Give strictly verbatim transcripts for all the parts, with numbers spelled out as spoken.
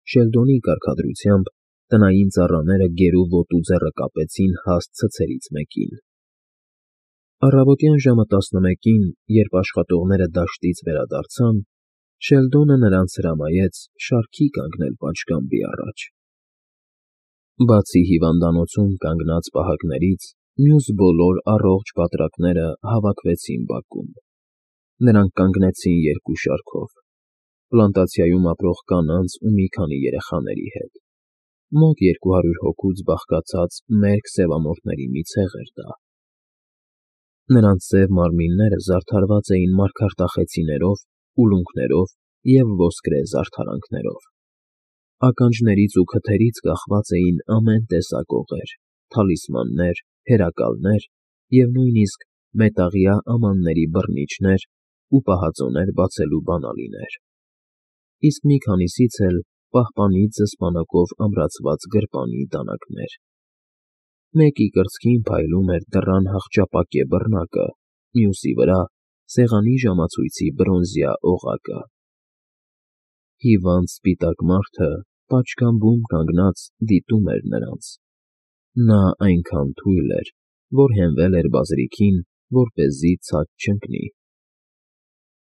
Շելդոնի կարգադրությամբ տնային ծառաները գերու ոտու ձեռը կապեցին հաստ ցցերից մեկին։ Առավոտյան ժամը տասնմեկին, երբ աշխատողները դաշտից վերադարձան, Շելդոնը նրանց հրամայեց շարքի կանգնել պատշգամբի առաջ։ Բացի հիվանդանոցում կանգնած պահակներից, մյուս բոլոր առողջ բատրակները հավաքվեցին բակում։ Նրանք կանգնեցին երկու շարքով՝ պլանտացիայում ապրող կանանց ու մի քանի երեխաների հետ։ Մոտ երկու հարյուր հոգուց բաղկացած մերկ սևամորթների մի ցեղ էր դա։ Նրանց սև մարմինները զարդարված էին մարգարտախեցիներով, ուլունքներով և ոսկրե զարդարանքներով։ Ականջներից ու քթերից կախված էին ամեն տեսակ օղեր, թալիսմաններ, հերակալներ և նույնիսկ մետաղյա ամանների բռնիչներ ու պահածոներ բացելու բանալիներ, իսկ մի քանիսից էլ պահպանի ձսպանակով ամրացված գրպանի դանակներ։ Մեկի կրծքին փայլում էր դռան հախճապակե բռնակը, մյուսի վրա՝ սեղանի ժամացույցի բրոնզյա օղակը։ Հիվանդ սպիտակ մարդը պատշգամբում կանգնած դիտում էր նրանց։ Նա այնքան թույլ էր, որ հենվել էր բազրիքին, որպեսզի ցած չընկնի։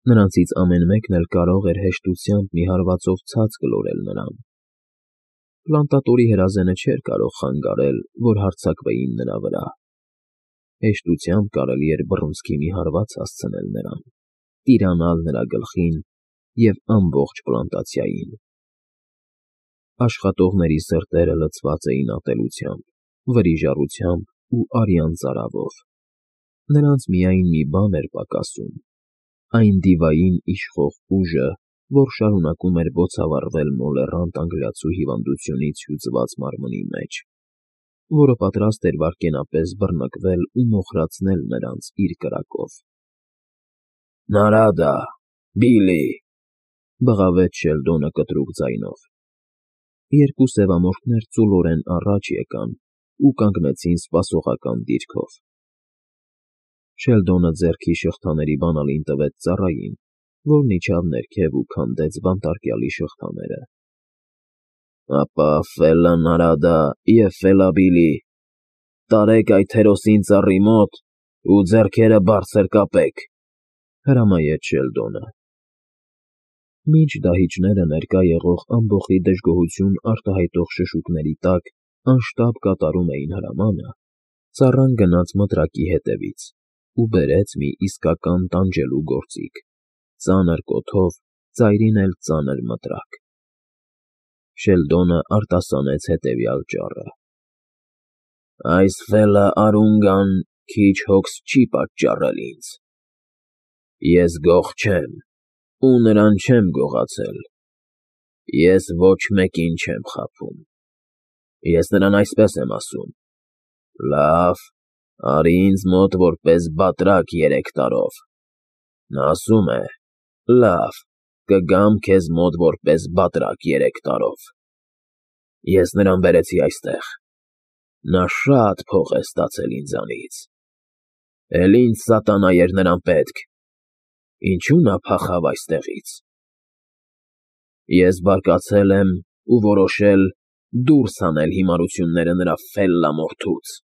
Նրանցից ամեն մեկն էլ կարող էր հեշտությամբ մի հարվածով ցած գլորել նրան։ Պլանտատորի հրազենը չէր կարող խանգարել, որ հարձակվեին նրա վրա։ Հեշտությամբ կարելի էր բռունցքի մի հարված հասցնել նրան, տիրանալ նրա գլխին և ամբողջ պլանտացիային։ Աշխատողների սրտերը լցված էին ատելությամբ, վրիժառությամբ ու արյան ծարավով։ Նրանց միայն մի բան էր պակասում՝ այն դիվային իշխող ուժը, որ շարունակում էր բոցավառվել մոլեռանդ անգլիացու հիվանդությունից հյուծված մարմնի մեջ, որը պատրաստ էր վայրկենապես բռնկվել ու մոխրացնել նրանց իր կրակով։ ֊ Նարադա, Բիլլի,֊ բղավեց Շելդոնը կտրուկ ձայնով։ Երկու սևամորթներ ծուլորեն առաջ եկան ու կանգնեցին սպասողական դիրքով։ Շելդոնը ձեռքի շղթաների բանալին տվեց ծառային, որն իջավ ներքև ու քանդեց բանտարկյալի շղթաները։ ֊ Ապա ֆելլա Նարադա և ֆելլա Բիլլի, տարեք այդ հերոսին ծառի մոտ ու ձեռքերը բարձր կապեք,֊ հրամայեց Շելդոնը։ Մինչ դահիճները ներկա եղող ամբոխի դժգոհություն արտահայտող շշուկների տակ անշտապ կատարում էին հրամանը, ծառան գնաց մտրակի հետևից ու բերեց մի իսկական տանջելու գործիք՝ ծանր կոթով, ծայրին էլ ծանր մտրակ։ Շելդոնը արտասանեց հետևյալ ճառը. «Այս ֆելլա Արունգան քիչ հոգս չի պատճառել ինձ։ Ես գող չեմ ու նրան չեմ գողացել։ Ես ոչ մեկին չեմ խաբում։ Ես նրան այսպես եմ ասում. լավ, արի ինձ մոտ որպես բատրակ երեք տարով։ Նա ասում է. լավ, կգամ քեզ մոտ որպես բատրակ երեք տարով։ Ես նրան բերեցի այստեղ։ Նա շատ փող է ստացել ինձանից։ Էլ ինձ սատանա էր նրան պետք։ Ինչո՞ւ նա փախավ այստեղից։ Ես բարկացել եմ ու որոշել դուրս հանել հիմարությունները նրա ֆելլա մորթուց։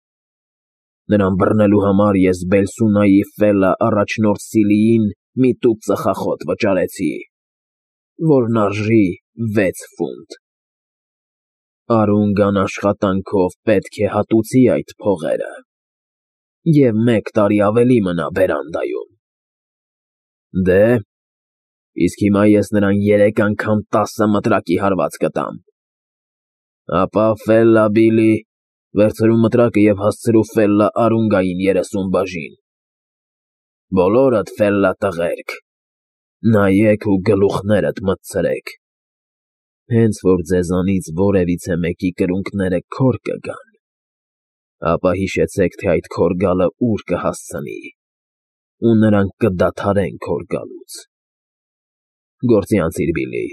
Նրան բռնելու համար ես Բելսունայի ֆելլա առաջնորդ Սիլիին մի տուփ ծխախոտ վճարեցի, որն արժի վեց ֆունտ։ Արունգան աշխատանքով պետք է հատուցի այդ փողերը և մեկ տարի ավելի մնա բերանդայում։ Դե, իսկ հիմա ես նրան երեք անգամ տասը մտրակի հարված կտամ։ Ապա, ֆելլա Բիլլի, վերցրու մտրակը և հասցրու ֆելլա Արունգային երեսուն բաժին։ Բոլորդ ֆելլա տղերք, նայեք ու գլուխներդ մտցրեք։ Հենց որ ձեզանից որևիցե մեկի կրունկները քոր կգան, ապա հիշեցեք, թե այդ քոր գալը ուր կհասցնի, ու նրանք կդադարեն քոր գալուց։ Գործի անցիր, Բիլլի,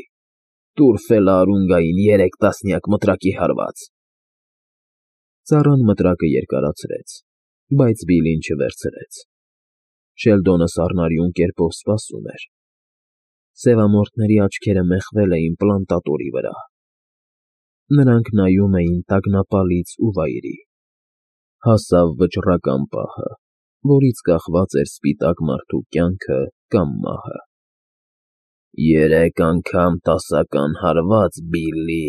տուր ֆելլա Արունգային երեք տասնյակ մտրակի հարված։ Ծառան մտրակը երկարացրեց, բայց Բիլլին չվերցրեց։ Շելդոնը սառնարյուն կերպով սպասում էր։ Սևամորթների աչքերը մեխվել էին պլանտատորի վրա։ Նրանք նայում էին տագնապալից ու վայրի։ Հասավ վճռական պահը, որից կախված էր սպիտակ մարդու կյանքը կամ մահը։ «Երեք անգամ տասական հարված, Բիլլի»,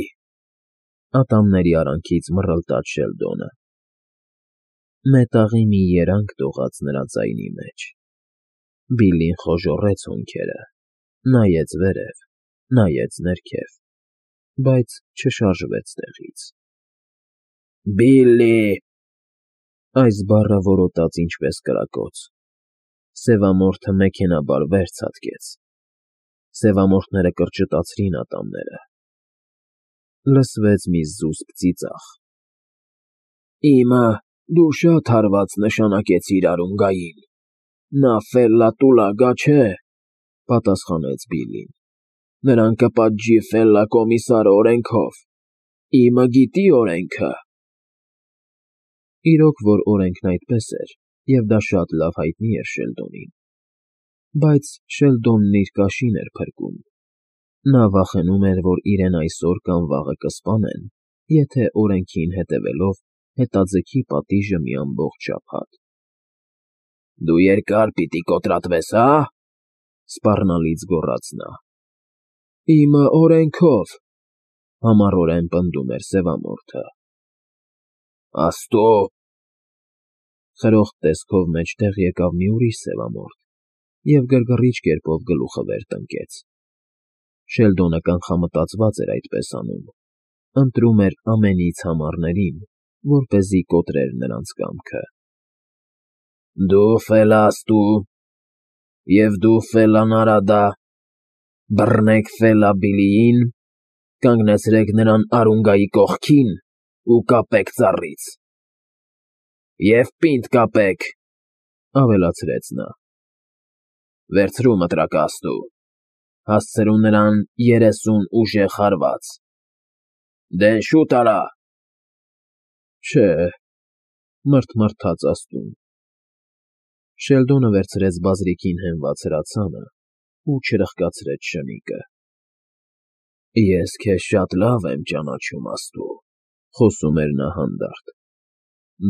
ատամների արանքից մռլտաց Շելդոնը։ Մետաղի մի երանգ տողաց նրա ձայնի մեջ։ Բիլլին խոժոռեց հոնքերը, նայեց վերև, նայեց ներքև, բայց չշարժվեց տեղից։ «Բիլլի»։ Այս բառը որոտաց ինչպես կրակոց։ Սևամորթը մեքենայաբար վեր ցատկեց։ Սևամորթները կրճտացրին ատամները։ Լսվեց մի զուսպ ծիծաղ։ «Իմը դու շատ հարված նշանակեցիր Արունգային, նա Ֆելլա֊Տուլագա չէ», պատասխանեց Բիլլին։ «Նրան կպատժի Ֆելլա֊Կոմիսարը օրենքով, իմը գիտի օրենքը»։ Իրոք որ օրենքն այդպես էր, և դա շատ լավ հայտնի էր Շելդոնին։ Բայց Շելդոնն իր կաշին էր փրկում։ Նա վախենում էր, որ իրեն այսօր կամ վաղը կսպանեն, եթե օրենքին հետևելով հետաձգի պատիժը մի ամբողջ շաբաթ։ «Դու երկար պիտի կոտրատվես, հա՞, սպառնալից գոռաց նա։ «Իմը օրենքով», համառորեն պնդում էր Սևամորթը։ «Աստծո»։ Խրոխտ տեսքով մեջտեղ եկավ մի ուրիշ սևամորթ և գրգռիչ կերպով գլուխը վեր տնկեց։ Շելդոնը կանխամտածված էր այդպես անում, ընտրում էր ամենից համառներին, որպեսզի կոտրեր նրանց կամքը։ «Դու Ֆելաստու, և դու Ֆելլանարադա, բռնեք Ֆելլա-Բիլլիին, կանգնեցրեք նրան Արունգայի կողքին ու կապեք ծառից։ Եվ պինդ կապեք», ավելացրեց նա։ «Վերցրու մտրակը, Աստծո, հասցրու նրան երեսուն ուժեղ հարված։ Դե շուտ արա»։ «Չէ», մռթմռթաց Աստծուն։ Շելդոնը վերցրեց բազրիքին հենված հրացանը ու չրխկացրեց շնիկը։ «Ես քեզ շատ լավ եմ ճանաչում, Աստծո», խոսում էր նա հանդարտ։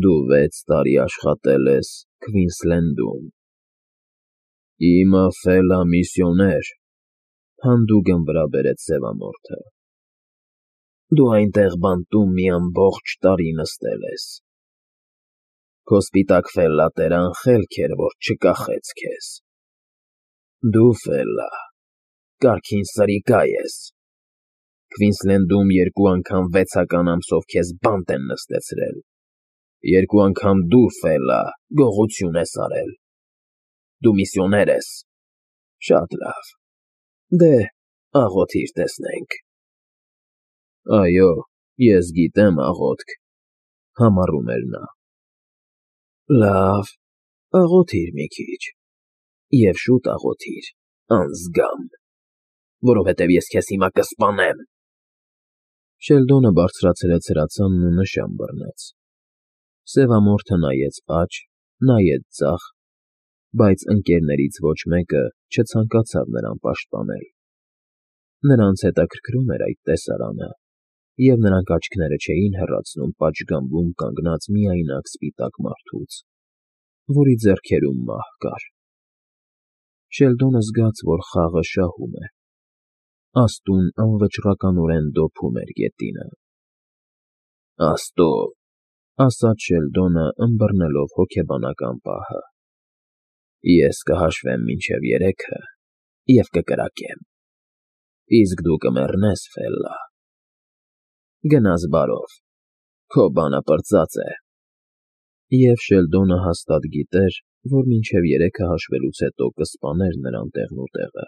«Դու վեց տարի աշխատել ես Քվինսլենդում»։ «Իմը Ֆելլա֊միսիոներ», հանդուգն վրա բերեց սևամորթը։ «Դու այնտեղ բանտում մի ամբողջ տարի նստել ես։ Քո սպիտակ Ֆելլա֊տերը անխելք էր, որ չկախեց քեզ։ Դու, Ֆելլա, կարգին սրիկա ես։ Քվինսլենդում երկու անգամ վեցական ամսով քեզ բանտ են նստեցրել, երկու անգամ դու, Ֆելլա, գողություն ես արել։ Դու միսիոներ ես։ Շատ լավ։ Դե, աղոթիր, տեսնենք»։ «Այո, ես գիտեմ աղոթք», համառում էր նա։ «Լավ, աղոթիր մի քիչ, և շուտ աղոթիր, անձգամ, որովհետև ես քեզ հիմա կսպանեմ»։ Շելդոնը բարձրացրեց հրացանն ու նշան բռնեց։ Սևամորթը նայեց աջ, նայեց ձախ, բայց ընկերներից ոչ մեկը չցանկացավ նրան պաշտպանել։ Նրանց հետաքրքրում էր այդ տեսարանը, և նրանք աչքները չէին հեռացնում պատշգամբում կանգնած միայնակ սպիտակ մարդուց, որի ձեռքերում մահ կար։ Շելդոնը զգաց, որ խաղը շահում է։ Աստուն անվճռականորեն դոփում էր գետինը։ «Աստծո», ասաց Շելդոնը, ըմբռնելով հոգեբանական պահը, «ես կհաշվեմ մինչև երեքը և կկրակեմ, իսկ դու կմեռնես, Ֆելլա։ Գնաս բարով, քո բանը պրծած է»։ Եվ Շելդոնը հաստատ գիտեր, որ մինչև երեքը հաշվելուց հետո կսպաներ նրան տեղնուտեղը։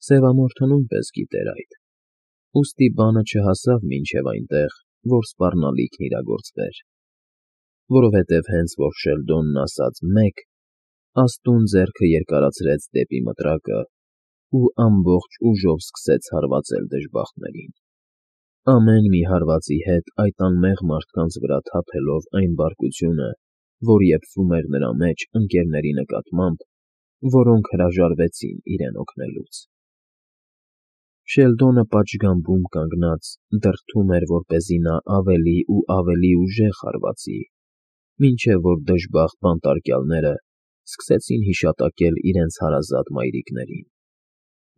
Սևամորթը նույնպես գիտեր այդ, ուստի բանը չհասավ մինչև այնտեղ, որ սպառնալիքն իրագործվեր, որովհետև հենց որ Շելդոնն ասաց «մեկ», Աստուն ձեռքը երկարացրեց դեպի մտրակը ու ամբողջ ուժով սկսեց հարվածել դժբախտներին։ Ամեն մի հարվածի հետ այդ անմեղ մարդկանց վրա թափելով այն բարկությունը, որ եփվում էր նրա մեջ ընկերների նկատմամբ, որոնք հրաժարվեցին իրեն օգնելուց։ Շելդոնը պատշգամբում կանգնած դրդում էր, որպեսզի նա ավելի ու ավելի ուժեղ հարվածի, մինչև որ դժբախտ բանտարկյալները սկսեցին հիշատակել իրենց հարազատ մայրիկներին,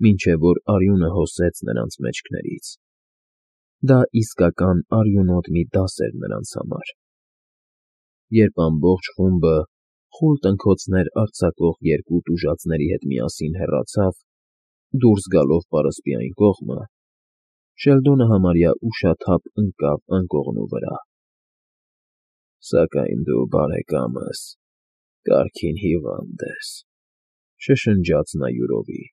մինչև որ արյունը հոսեց նրանց մեջքներից. դա իսկական արյունոտ մի դաս էր նրանց համար, երբ ամբողջ խումբը, խուլ տնքոցներ արձակող երկու տուժածների հետ միասին հեռացավ, դուրս գալով պարսպի այն կողմը, Շելդոնը համարյա ուշաթափ ընկավ անկողնու վրա։ ֊ Սակայն դու, բարեկամս, կարգին հիվանդ ես,֊ շշնջաց նա յուրովի,֊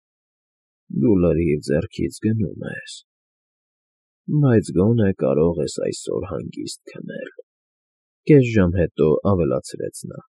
դու լրիվ ձեռքից գնում ես, բայց գոնե կարող ես այսօր հանգիստ քնել,֊ կես ժամ հետո ավելացրեց նա։